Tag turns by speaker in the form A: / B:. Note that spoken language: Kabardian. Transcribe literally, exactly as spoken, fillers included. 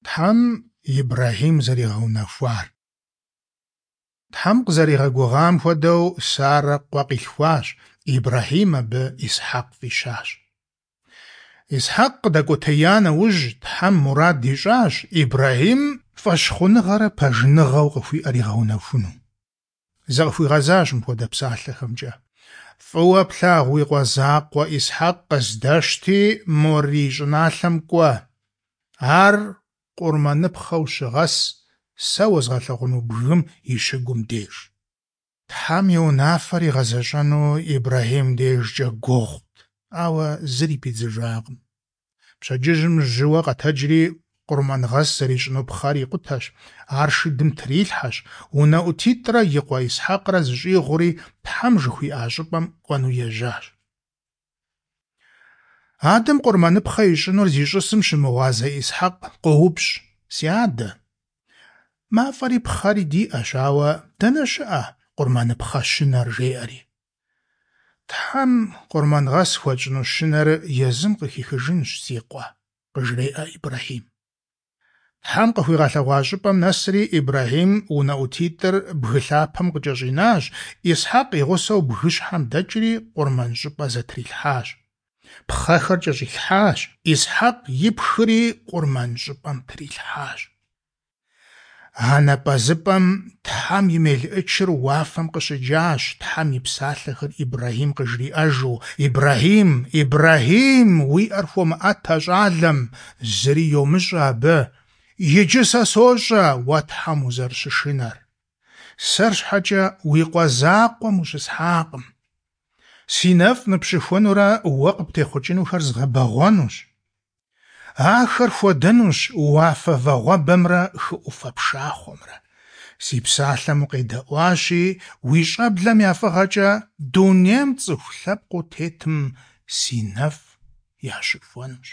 A: Тхьэм Ибрэхьим зэригъэунэхуар. Тхьэм къызэригъэгугъам хуэдэу, Сарэ къуэ къилъхуащ, Ибрэхьим абы Исхьэкъ фӀищащ. Исхьэкъ къыдэкӀуэтея нэужь, Тхьэм мурад ищӀащ Ибрэхьим фӀэщхъуныгъэрэ пэжыныгъэу къыхуиӀэр игъэунэхуну. Зыкъыхуигъэзащ мыпхуэдэ псалъэхэмкӀэ: «ФӀыуэ плъагъу уи къуэ закъуэ Исхьэкъ къыздэщти, Морий щӀыналъэм кӀуэ. Ар къурмэныпхъэу щыгъэс, сэ уэзгъэлъэгъуну бгым и щыгум деж». Тхьэм и унафэр игъэзэщӀэну Ибрэхьим дежкӀэ гугъут, ауэ зыри пидзыжакъым. Пщэдджыжьым жьыуэ къэтэджри, къурмэнгъэс зэрищӀыну пхъэр икъутэщ, ар шыдым трилъхьэщ, унэӀутитӀрэ и къуэ Исхьэкърэ зыщӀигъури, Тхьэм жыхуиӀа щӀыпӀэм кӀуэну ежьащ. Адэм къурмэныпхъэ ищӀынур зищӀысым щымыгъуазэ Исхьэкъ къоупщӀ: «Си адэ, мафӀэри пхъэри диӀэщ, ауэ дэнэ щыӀэ къурмэныпхъэ щынэр?» жеӀэри. Тхьэм къурмэнгъэс хуэтщӀыну щынэр езым къыхихыжынщ, си къуэ, къыжреӀэ Ибрэхьим. Тхьэм къыхуигъэлъэгъуа щӀыпӀэм нэсри, Ибрэхьим унэӀутитӀыр бгы лъапэм къыкӀэщӀинащ, Исхьэкъ и гъусэу бгыщхьэм дэкӀри къурмэн щӀыпӀэ зэтрилъхьащ. Пхъэхэр кӀэщӀилъхьащ, Исхьэкъ ипхри къурмэн щӀыпӀэм трилъхьащ. А напӀэзыпӀэм Тхьэм и мелыӀычыр уафэм къыщыджащ, Тхьэм и псалъэхэр Ибрэхьим къыжриӀэжу: «Ибрэхьим, Ибрэхьим, уи Ӏэр хуомыӀэт а щӀалэм, зыри йомыщӀэ абы. Иджы сэ сощӀэ уэ Тхьэм узэрыщышынэр. Сэр щхьэкӀэ уи къуэ закъуэм ущысхьакъым. Си нэфӀ ныпщыхуэнурэ уэ къыптехъукӀынухэр згъэбэгъуэнущ. Ахэр хуэдэнущ уафэ вагъуэбэмрэ хы Ӏуфэ пшахъуэмрэ. Си псалъэм укъедэӀуащи, уи щӀэблэм я фӀыгъэкӀэ дунейм цӀыху лъэпкъыу тетым си нэфӀ ящыхуэнущ».